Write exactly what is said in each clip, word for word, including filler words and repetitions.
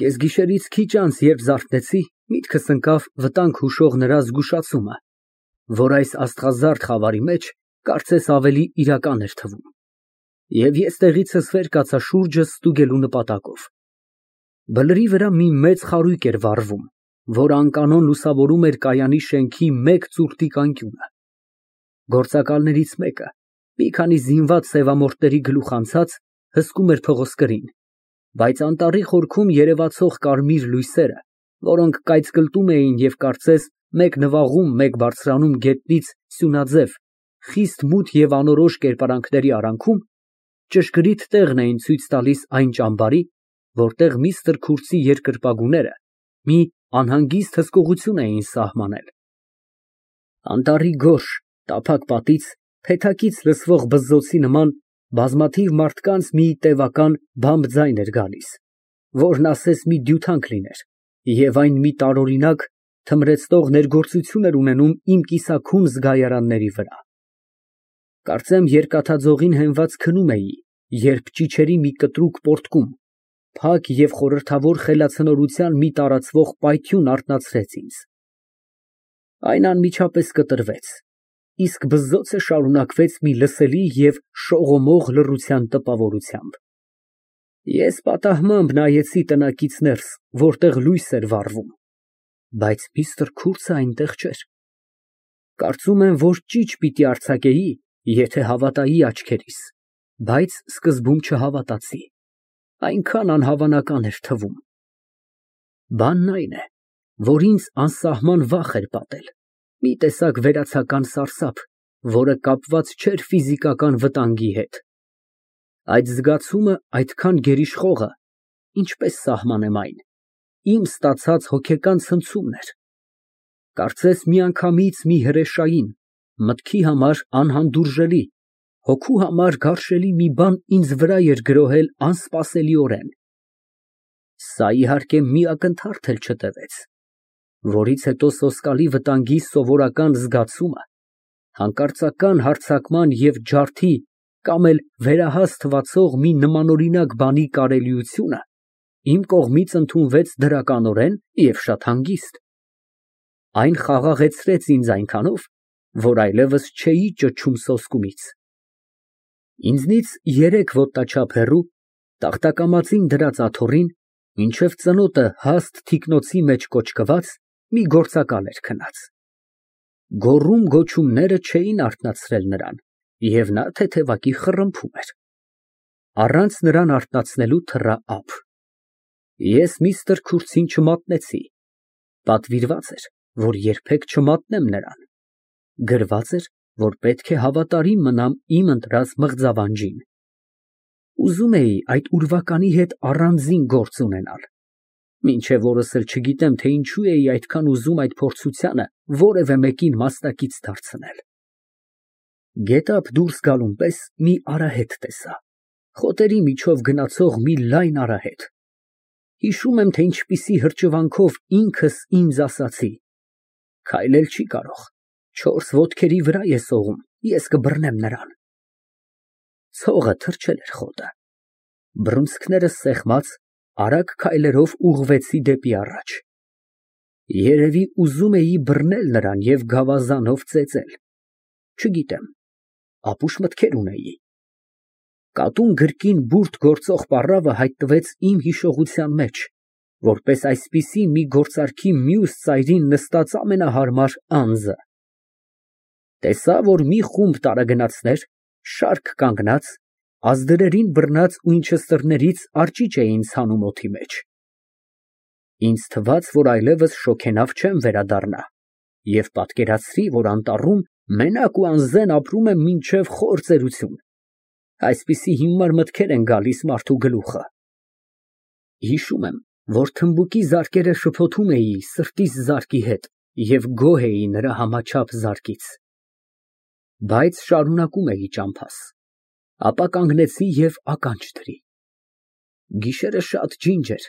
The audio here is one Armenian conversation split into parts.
Կեսգիշերից քիչ անց, երբ զարթնեցի, միտքս ընկավ վտանգ հուշող նրա զգուշացումը, որ այս աստղազարդ խավարի մեջ կարծես ավելի իրական էր թվում, և ես տեղիցս վեր կացա շուրջս ստուգելու նպատակով։ Բլրի վրա մի մեծ խարույկ էր վառվում, որ անկանոն լուսավորում էր կայանի շենքի մեկ ծուռտիկ անկյունը։ Գործակալներից մեկը, մի քանի զինված սևամորթների գլուխ անցած, հսկում էր փղոսկրին, բայց անտառի խորքում երևացող կարմիր լույսերը, որոնք կայծկլտում էին և կարծես մեկ նվաղում, մեկ բարձրանում գետնից սյունաձև, խիստ մութ և անորոշ կերպարանքների արանքում, ճշգրիտ տեղն էին ցույց տալիս այն ճամբարի, որտեղ միստր Քուրթսի երկրպագուները մի անհանգիստ հսկողություն էին սահմանել։ Անտառի գորշ, տափակ պատից փեթակից լսվող բզզոցի նման բազմաթիվ մարդկանց մի տևական բամբ ձայն էր գալիս, որն ասես մի դյութանք լիներ, և այն մի տարօրինակ, թմրեցնող ներգործություն էր ունենում իմ կիսաքուն զգայարանների վրա։ Կարծեմ երկաթաձողին հենված քնում էի, երբ ճիչերի մի կտրուկ պոռթկում, փակ և խորհրդավոր խելացնորության մի տարածվող պայթյուն արթնացրեց ինձ։ Այն անմիջապես կտրվեց, իսկ բզզոցը շարունակվեց մի լսելի և շողոմող լռության տպավորությամբ։ Ես պատահմամբ նայեցի տնակից ներս, որտեղ լույս էր վառվում, բայց միստր Քուրթսը այնտեղ չէր։ Կարծում եմ, որ ճիչ պիտի արձակեի, եթե հավատայի աչքերիս, բայց սկզբում չհավատացի, այնքան անհավանական էր թվում։ Բանն այն է, որ ինձ անսահման վախ էր պատել, մի տեսակ վերացական սարսափ, որը կապված չէր ֆիզիկական վտանգի հետ։ Այդ զգացումը այդքան գերիշխողը, ինչպես սահմանեմ այն, իմ ստացած հոգեկան ցնցումն էր։ Կարծես միանգամից մի հրեշային, մտքի համար անհանդուրժելի, հոգու համար գարշելի մի բան ինձ վրա էր գրոհել անսպասելիորեն։ Սա, իհարկե, մի ակնթարթ էլ չտևեց, որից հետո սոսկալի վտանգի սովորական զգացումը, հանկարծական հարձակման և ջարդի կամ էլ վերահաս թվացող մի նմանօրինակ բանի կարելիությունը իմ կողմից ընդունվեց դրականորեն և շատ հանգիստ։ Այն խաղաղեցրեց ինձ այնքանով, որ այլևս չէի ճչում սոսկումից։ Ինձնից երեք ոտնաչափ հեռու, տախտակամածին դրած աթոռին, մինչև ծնոտը հաստ թիկնոցի մեջ կոճկված, մի գործակալ էր քնած։ Գոռում֊գոչումները չէին արթնացրել նրան, և նա թեթևակի խռմփում էր։ Առանց նրան արթնացնելու թռա ափ։ Ես միստր Քուրթսին չմատնեցի, պատվիրված էր, որ երբեք չմատնեմ նրան, գրված էր, որ պետք է հավատարիմ մնամ իմ ընտրած մղձավանջին։ Ուզում էի այդ ուրվականի հետ առանձին գործ ունենալ, մինչև օրս էլ չգիտեմ, թե ինչու էի այդքան ուզում այդ փորձությանը որևէ մեկին մասնակից դարձնել։ Գետափ դուրս գալուն պես մի արահետ տեսա, խոտերի միջով գնացող մի լայն արահետ։ Հիշում եմ, թե ինչպիսի հրճվանքով ինքս ինձ ասացի. «Քայլել չի կարող, չորս ոտքերի վրա է սողում, ես կբռնեմ նրան»։ Ցողը թրջել էր խոտը։ Բռունցքներս սեղմած, արագ քայլերով ուղղվեցի դեպի առաջ։ Երևի ուզում էի բռնել նրան և գավազանով ծեծել։ Չգիտեմ, ապուշ մտքեր ունեի։ Կատուն գրկին բուրդ գործող պառավը հայտնվեց իմ հիշողության մեջ, որպես այսպիսի մի գործարքի մյուս ծայրին նստած ամենահարմար անձը։ Տեսա, որ մի խումբ տարագնացներ, շարք կանգնած, ազդրերին բռնած Ուինչեսթերներից արճիճ էին ցանում օդի մեջ։ Ինձ թվաց, որ այլևս շոգենավ չեմ վերադառնա, և պատկերացրի, որ անտառում մենակ ու անզեն ապրում եմ մինչև խոր ծերություն։ Այսպիսի հիմար մտքեր են գալիս մարդու գլուխը։ Հիշում եմ, որ թմբուկի զարկերը շփոթում էի սրտիս զարկի հետ և գոհ էի նրա համաչափ զարկից։ Բայց շարունակում էի ճամփաս, ապա կանգնեցի և ականջ դրի։ Գիշերը շատ ջինջ էր,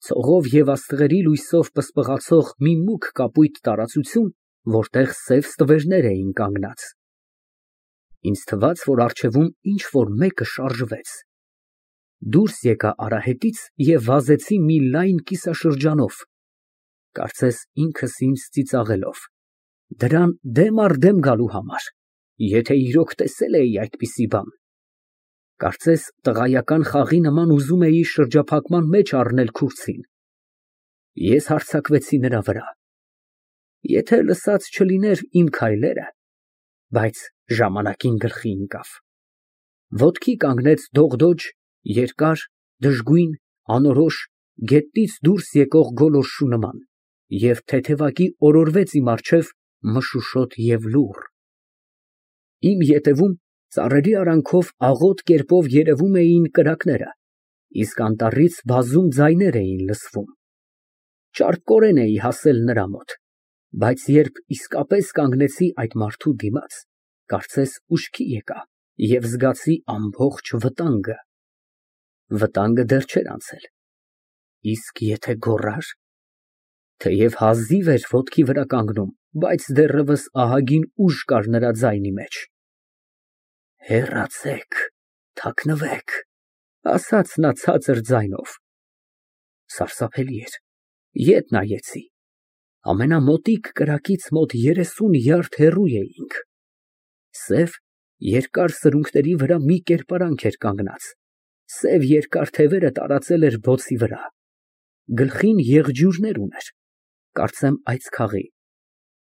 ցողով և աստղերի լույսով պսպղացող մի մուգ կապույտ տարածություն, որտեղ սև ստվերներ էին կանգնած։ Ինձ թվաց, որ առջևում ինչ֊որ մեկը շարժվեց։ Դուրս եկա արահետից և վազեցի մի լայն կիսաշրջանով, կարծես ինքս ինձ ծիծաղելով, դրան դեմ առ դեմ գալու համար, եթե իրոք տեսել էի այդպիսի բան, կարծես տղայական խաղի նման ուզում էի շրջափակման մեջ առնել քուրձին, ես հարձակվեցի նրա վրա, եթե լսած չլիներ իմ քայլերը, բայց ժամանակին գլխի ընկավ, ոտքի կանգնեց դողդոջ, երկար, դժգույն, անորոշ, գետնից դուրս եկող գոլորշու նման և թեթևակի օրորվեց իմ առջև մշուշոտ և լուռ, իմ ետևում ծառերի արանքով աղոտ կերպով երևում էին կրակները, իսկ անտառից բազում ձայներ էին լսվում, ճարպկորեն էի հասել նրա մոտ, բայց երբ իսկապես կանգնեցի այդ մարդու դիմաց, կարծես ուշքի եկա և զգացի ամբողջ վտանգը, վտանգը դեռ չէր անցել, իսկ եթե գոռար, թեև հազիվ էր ոտքի վրա կանգնում, բայց դեռևս ահագին ուժ կար նրա ձայնի մեջ, հեռացեք, թաքնվեք, ասաց նա ցածր ձայնով, սարսափելի էր, ետ նայեցի, ամենամոտիկ կրակից մոտ երեսուն յարդ հեռու էինք, սև, երկար սրունքների վրա մի կերպարանք էր կանգնած, սև երկար թևերը տարածել էր բոցի վրա, գլխին եղջյուրներ ուներ, կարծեմ այծքաղի,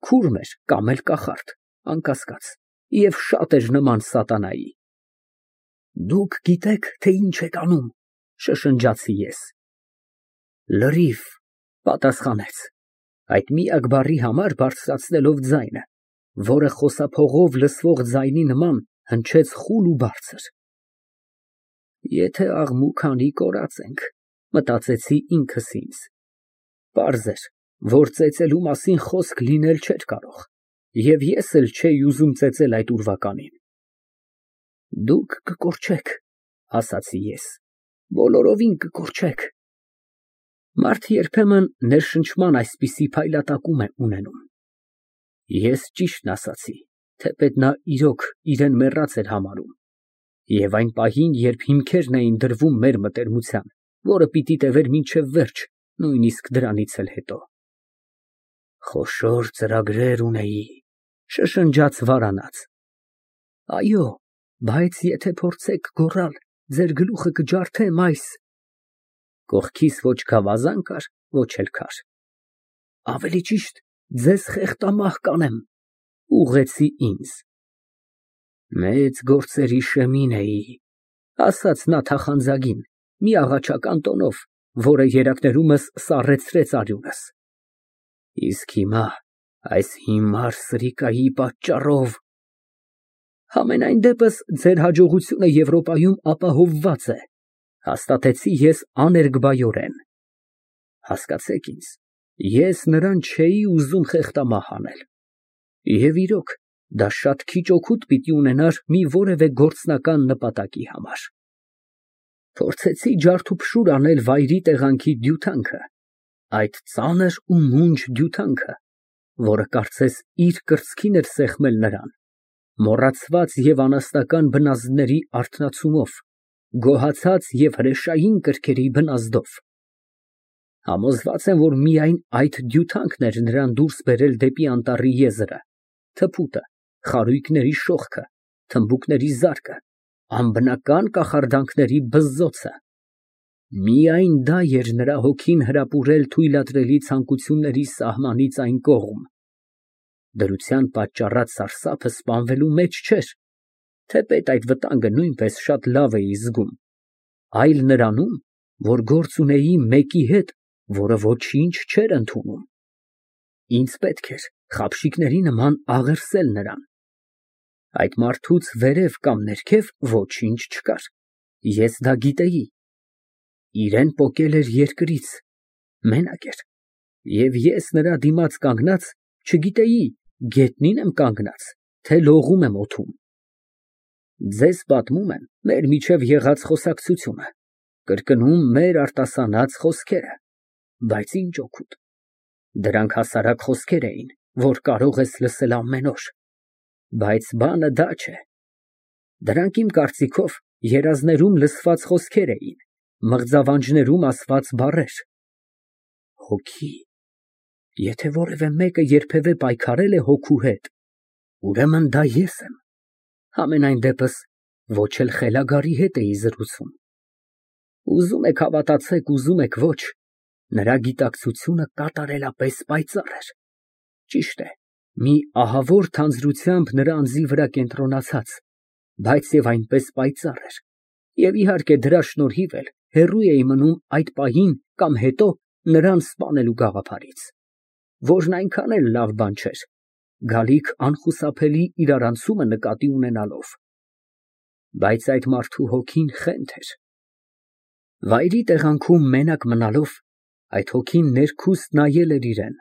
քուրմ էր կամ էլ կախարդ, անկասկած, և շատ էր նման սատանայի։ Դուք գիտեք, թե ինչ եք անում, շշնջացի ես։ Լրիվ, պատասխանեց, այդ միակ բառի համար բարձրացնելով ձայնը, որը խոսափողով լսվող ձայնի նման հնչեց խուլ ու բարձր։ Եթե աղմուկ անի կորած ենք, մտածեցի ինքս ինձ, պարզ էր, որ ծեծելու մասին խոսք լինել չէր կարող, և ես էլ չէի ուզում ծեծել այդ ուրվականին։ Դուք կկորչեք, ասացի ես, բոլորովին կկորչեք։ Մարդ երբեմն ներշնչման այսպիսի փայլատակում է ունենում։ Ես ճիշտն ասացի, թեպետ նա իրոք իրեն մեռած էր համարում, և այն պահին, երբ հիմքերն էին դրվում մեր մտերմության, որը պիտի տևեր մինչև վերջ, նույնիսկ դրանից էլ հետո։ Խոշոր ծրագրեր ունեի, շշնջաց վարանած։ Այո, բայց եթե փորձեք գոռալ, ձեր գլուխը կջարդեմ այս… Կողքիս ոչ գավազան կար, ոչ էլ քար։ Ավելի ճիշտ, ձեզ խեղտամահ կանեմ, ուղղեցի ինձ։ Մեծ գործերի շեմին էի, ասաց նա թախանձագին, մի աղաչական տոնով, որը երակներումս սառեցրեց արյունս։ Իսկ հիմա այս հիմար սրիկայի պատճառով… Համենայն դեպս ձեր հաջողությունը Եվրոպայում ապահովված է, հաստատեցի ես աներկբայորեն։ Հասկացեք ինձ, ես նրան չէի ուզում խեղտամահ անել։ Եվ իրոք, դա շատ քիչ օգուտ պիտի ունենար մի որևէ գործնական նպատակի համար։ Փորձեցի ջարդուփշուր անել վայրի տեղանքի դյութանքը, այդ ծանր ու մունջ դյութանքը, որը կարծես իր կրծքին էր սեղմել նրան, մոռացված և անասնական բնազդների արթնացումով, գոհացած և հրեշային կրքերի բնազդով։ Համոզված եմ, որ միայն այդ դյութանքն էր նրան դուրս բերել դեպի անտառի եզրը, թփուտը, խարույկների շողքը, թմբուկների զարկը, անբնական կախարդանքների բզզոցը։ Միայն դա էր նրա հոգին հրապուրել թույլատրելի ցանկությունների սահմանից այն կողմ։ Դրության պատճառած սարսափը սպանվելու մեջ չէր, թեպետ այդ վտանգը նույնպես շատ լավ էի զգում, այլ նրանում, որ գործ ունեի մեկի հետ, որը ոչինչ չէր ընդունում։ Ինձ պետք էր խաբշիկների նման աղերսել նրան։ Այդ մարդուց վերև կամ ներքև ոչինչ չկար, ես դա գիտեի։ Իրեն պոկել էր երկրից, մենակ էր, և ես նրա դիմաց կանգնած չգիտեի գետնի՞ն եմ կանգնած, թե լողում եմ օդում։ Ձեզ պատմում եմ մեր միջև եղած խոսակցությունը, կրկնում մեր արտասանած խոսքերը, բայց ինչ օգուտ։ Դրանք հասարակ խոսքեր էին, որ կարող ես լսել ամեն օր, բայց բանը դա չէ։ Դրանք իմ կարծիքով երազներում լսված խոսքեր էին, մղձավանջներում ասված բառեր։ Հոգի, եթե որևէ մեկը երբևէ պայքարել է հոգու հետ, ուրեմն դա ես եմ, համենայն դեպս ոչ էլ խելագարի հետ էի զրուցում։ Ուզում եք հավատացեք, ուզում եք ոչ, նրա գիտակցությունը կատարելապես պայծառ էր։ Ճիշտ է, մի ահավոր թանձրությամբ նրա անձի վրա կենտրոնացած, բայց և այնպես պայծառ էր, և իհարկե դրա շնորհիվ էլ հեռու էի մնում այդ պահին կամ հետո նրան սպանելու գաղափարից, որն այնքան էլ լավ բան չէր, գալիք անխուսափելի իրարանցումը նկատի ունենալով։ Բայց այդ մարդու հոգին խենթ էր։ Վայրի տեղանքում մենակ մնալով, այդ հոգին ներքուստ նայել էր իրան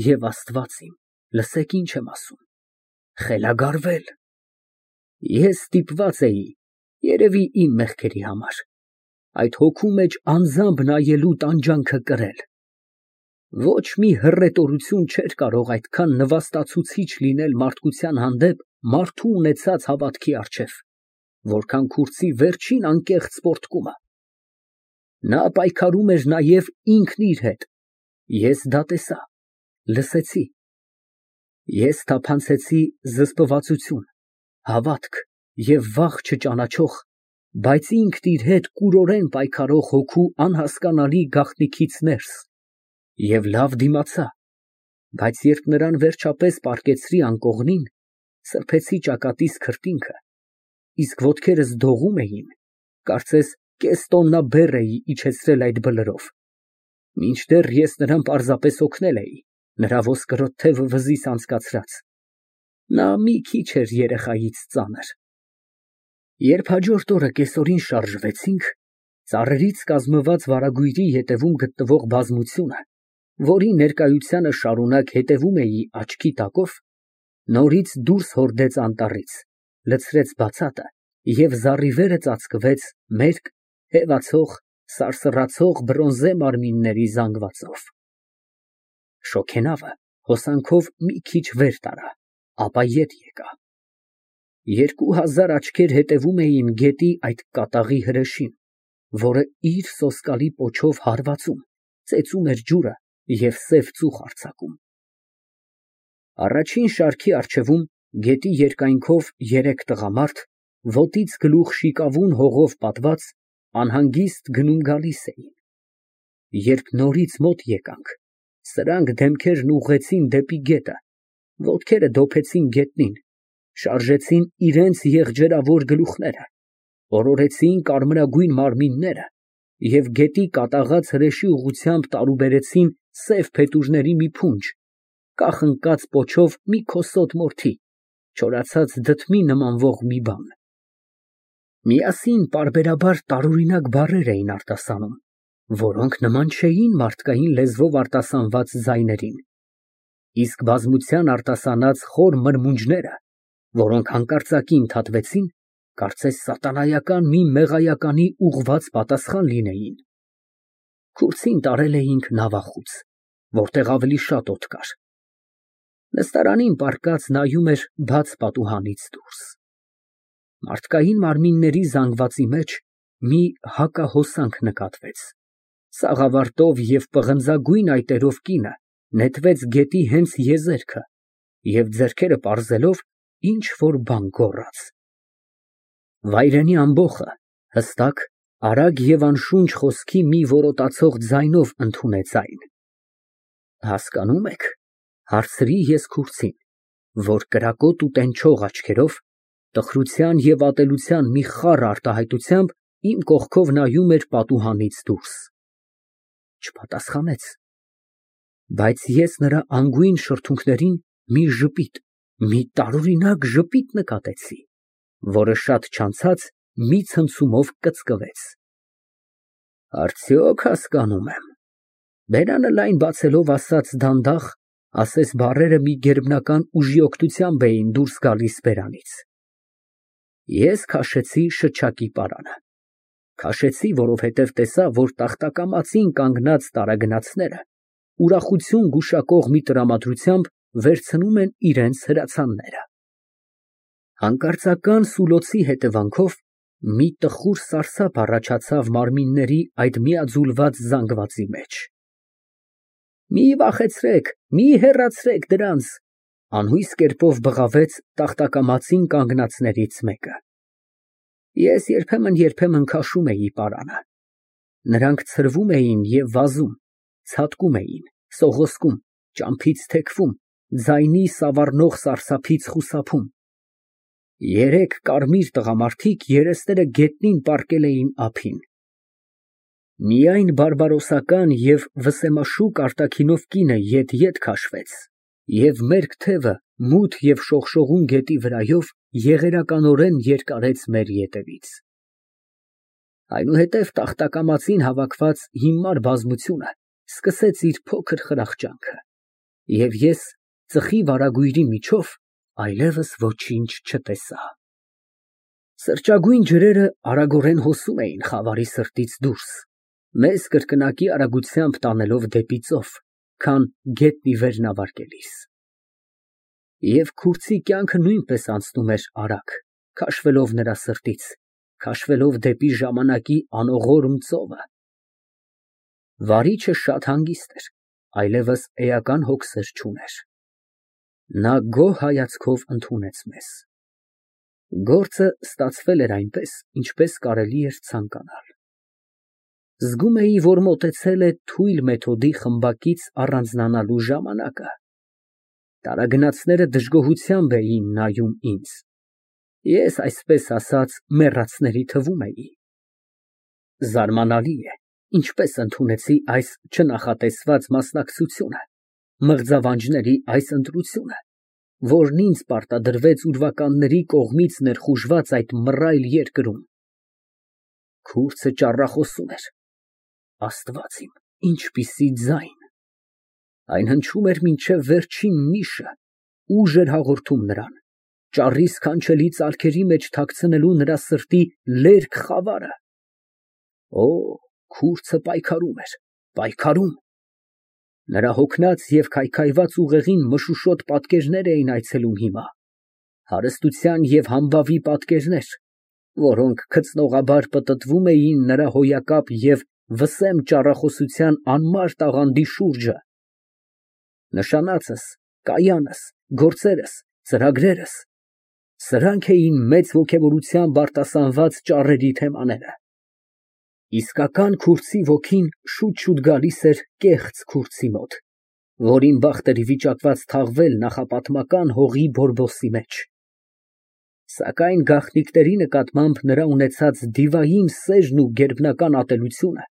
և Աստված իմ, լսեք ինչ եմ ասում, խելագարվել։ Ես ստիպված էի, երևի իմ մեղքերի համար, այդ հոգու մեջ անձամբ նայելու տանջանքը կրել։ Ոչ մի հռետորություն չէր կարող այդքան նվաստացուցիչ լինել մարդկության հանդեպ մարդու ունեցած հավատքի առջև, որքան քուրձի վերջին անկեղծ պոռթկումը։ Նա պայքարում էր նաև ինքն իր հետ, ես դա տեսա, լսեցի։ Ես թափանցեցի զսպվածություն, հավատք և վախ չճանաչող, բայց ինքն իր հետ կուրորեն պայքարող հոգու անհասկանալի գաղտնիքից ներս և լավ դիմացա, բայց երբ նրան վերջապես պառկեցրի անկողնին, սրբեցի ճակատիս քրտինքը, իսկ ոտքերս դողում էին, կարծես կես տոննա բեռ էի իջեցրել այդ բլրով, մինչդեռ ես նրան պարզապես օգնել էի, նրա ոսկրոտ թևը վզից անցկացրած, նա մի քիչ էր երեխայից ծանր։ Երբ հաջորդ օրը կեսօրին շարժվեցինք, ծառերից կազմված վարագույրի ետևում գտնվող բազմությունը, որի ներկայությանը շարունակ հետևում էի աչքի տակով, նորից դուրս հորդեց անտառից, լցրեց բացատը և զառիվերը ծածկվեց մերկ, հևացող, սարսռացող բրոնզե մարմինների զանգվածով։ Շոգենավը հոսանքով մի քիչ վեր տարա, ապա ետ եկա։ Երկու հազար աչքեր հետևում էին գետի այդ կատաղի հրեշին, որը իր սոսկալի պոչով հարվածում, ծեծում էր ջուրը և սև ծուխ արձակում։ Առաջին շարքի առջևում, գետի երկայնքով երեք տղամարդ, ոտից գլուխ շիկավուն հողով պատված, անհանգիստ գնում֊գալիս էին։ Երբ նորից մոտ եկանք, սրանք դեմքերն ուղղեցին դեպի գետը, ոտքերը դոփեցին գետնին, շարժեցին իրենց եղջերավոր գլուխները, օրորեցին կարմրագույն մարմինները և գետի կատաղած հրեշի ուղղությամբ տարուբերեցին սև փետուրների մի փունջ, կախ ընկած պոչով մի քոսոտ մորթի, չորացած դդմի նմանվող մի բան։ Միասին պարբերաբար տարօրինակ բառեր էին արտասանում, որոնք նման չէին մարդկային լեզվով արտասանված ձայներին, իսկ բազմության արտասանած խոր մրմունջները, որոնք հանկարծակի ընդհատվեցին, կարծես սատանայական մի մեղայականի ուղղված պատասխան լինեին։ Քուրձին տարել էինք նավախույց, որտեղ ավելի շատ օդ կար։ Նստարանին պառկած նայում էր բաց պատուհանից դուրս։ Մարդկային մարմինների զանգվածի մեջ մի հակահոսանք նկատվեց։ Սաղավարտով և պղնձագույն այտերով կինը նետվեց գետի հենց եզերքը և ձեռքերը պարզելով ինչ֊որ բան գոռաց։ Վայրենի ամբոխը հստակ, արագ և անշունչ խոսքի մի որոտացող ձայնով ընդունեց այն։ Հասկանո՞ւմ եք, հարցրի ես քուրձին, որ կրակոտ ու տենչող աչքերով, տխրության և ատելության մի խառ արտահայտությամբ իմ կողքով նայում էր պատուհանից դուրս։ Չպատասխանեց, բայց ես նրա անգույն շրթունքներին մի ժպիտ, մի տարօրինակ ժպիտ նկատեցի, որը շատ չանցած մի ցնցումով կծկվեց։ Արդյոք հասկանում եմ, բերանը լայն բացելով ասաց դանդաղ, ասես բառերը մի գերբնական ուժի օգնությամբ էին դուրս գալիս բերանից։ Ես քաշեցի շչակի պարանը։ Քաշեցի, որովհետև տեսա, որ տախտակամածին կանգնած տարագնացները ուրախություն գուշակող մի տրամադրությամբ վերցնում են իրենց հրացանները։ Հանկարծական սուլոցի հետևանքով Մի տխուր սարսափ առաջացավ մարմինների այդ միաձուլված զանգվածի մեջ։ Մի վախեցրեք, մի հեռացրեք դրանց, անհույս կերպով բղավեց տախտակամածին կանգնածներից մեկը։ Ես երբեմն֊երբեմն քաշում էի պարանը։ Նրանք ցրվում էին և վազում, ցատկում էին, սողոսկում, ճամփից թեքվում, ձայնի սավառնող սարսափից խուսափում։ Երեք կարմիր տղամարդիկ երեսները գետնին պառկել էին ափին։ Միայն բարբարոսական և վսեմաշուկ արտաքինով կինը ետ֊ետ քաշվեց, և մերկ թևը մութ և շողշողուն գետի վրայով եղերականորեն երկարեց մեր ետևից։ Այնուհետև տախտակամածին հավաքված հիմար բազմությունը սկսեց իր փոքր խրախճանքը, և ես ծխի վարագույրի միջով այլևս ոչինչ չտեսա։ Սրճագույն ջրերը արագորեն հոսում էին խավարի սրտից դուրս, մեզ կրկնակի արագությամբ տանելով դեպի ծով, քան գետն ի վեր նավարկելիս։ Եվ քուրձի կյանքը նույնպես անցնում էր արագ, քաշվելով նրա սրտից, քաշվելով դեպի ժամանակի անողորմ ծովը։ Վարիչը շատ հանգիստ էր, այլևս էական հոգսեր չուներ։ Նա գոհ հայացքով ընդունեց մեզ։ Գործը ստացվել էր այնպես, ինչպես կարելի էր ցանկանալ։ Զգում էի, որ մոտեցել է թույլ մեթոդի խմբակից առանձնանալու ժամանակը։ Տարագնացները դժգոհությամբ էին նայում ինձ։ Ես, այսպես ասած, մեռածների թվում էի։ Զարմանալի է, ինչպես ընդունեցի այս չնախատեսված մասնակցությունը, մղձավանջների այս ընտրությունը, որն ինձ պարտադրվեց ուրվականների կողմից ներխուժված այդ մռայլ երկրում։ Քուրձը ճառախոսում էր։ Աստված իմ, ինչպիսի ձայն։ Այն հնչում էր մինչև վերջին նիշը, ուժ էր հաղորդում նրան, ճառի սքանչելի ծալքերի մեջ թաքցնելու նրա սրտի լերկ խավարը։ Օ, քուրձը պայքարում էր, պայքարում։ Նրա հոգնած և քայքայված ուղեղին մշուշոտ պատկերներ էին այցելում հիմա, հարստության և համբավի պատկերներ, որոնք գցնողաբար պտտվում էին նրա հոյակապ և վսեմ ճառախոսության անմար տաղանդի շուրջը։ Նշանածս, կայանս, գործերս, ծրագրերս, սրանք էին մեծ ոգևորությամբ արտասանված ճառերի թեմաները։ Իսկական քուրձի ոգին շուտ֊շուտ գալիս էր կեղծ քուրձի մոտ, որին բախտ էր վիճակված թաղվել նախապատմական հողի բորբոքսի մեջ։ Սակայն գաղտնիքների նկատմամբ նրա ունեցած դիվային սերն ու գերբնական ատելությունը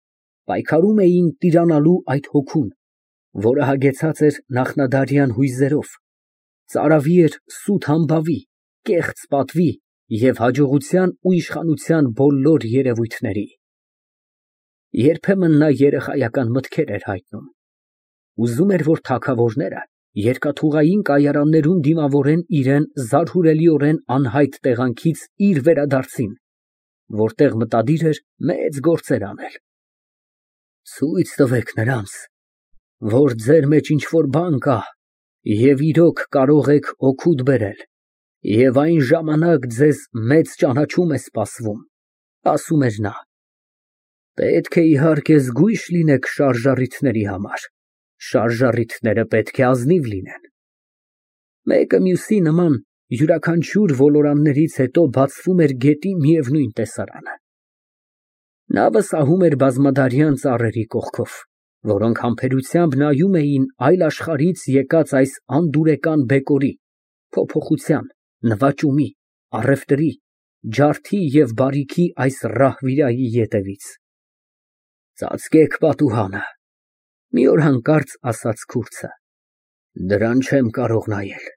պայքարում էին տիրանալու այդ հոգուն, որը հագեցած էր նախնադարյան հույզերով, ծարավի էր սուտ համբավի, կեղծ պատվի և հաջողության ու իշխանության բոլոր երևույթների։ Երբեմն նա երեխայական մտքեր էր հայտնում։ Ուզում էր, որ թագավորները երկաթուղային կայարաններում դիմավորեն իրան զարհուրելիորեն անհայտ տեղանքից իր վերադարձին, որտեղ մտադիր էր մեծ գործեր անել։ Ցույց տվեք նրանց, որ ձեր մեջ ինչ֊որ բան կա և իրոք կարող եք օգուտ բերել, և այն ժամանակ ձեզ մեծ ճանաչում է սպասվում, ասում էր նա։ Պետք է, իհարկե, զգույշ լինեք շարժառիթների համար, շարժառիթները պետք է ազնիվ լինեն։ Մեկը մյուսի նման յուրաքանչյուր ոլորաններից հետո բացվում էր գետի միևնույն տեսարանը։ Նավը սահում էր բազմադարյան ծառերի կողքով, որոնք համբերությամբ նայում էին այլ աշխարհից եկած այս անդուրեկան բեկորի, փոփոխության, նվաճումի, առևտրի, ջարդի և բարիքի այս ռահվիրայի ետևից։ Ծածկեք պատուհանը, մի օր հանկարծ ասաց քուրձը։ Դրան չեմ կարող նայել,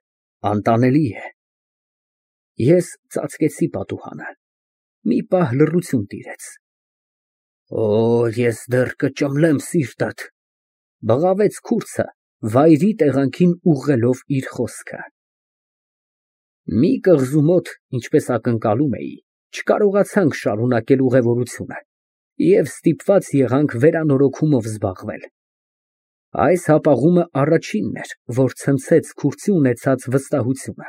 անտանելի է։ Ես ծածկեցի պատուհանը։ Մի պահ լռություն տիրեց։ Օ, ես դեռ կճմլեմ սիրտդ, բղավեց քուրձը, վայրի տեղանքին ուղղելով իր խոսքը։ Մի կղզու մոտ, ինչպես ակնկալում էի, չկարողացանք շարունակել ուղևորությունը և ստիպված եղանք վերանորոգումով զբաղվել։ Այս հապաղումը առաջինն էր, որ ցնցեց քուրձի ունեցած վստահությունը։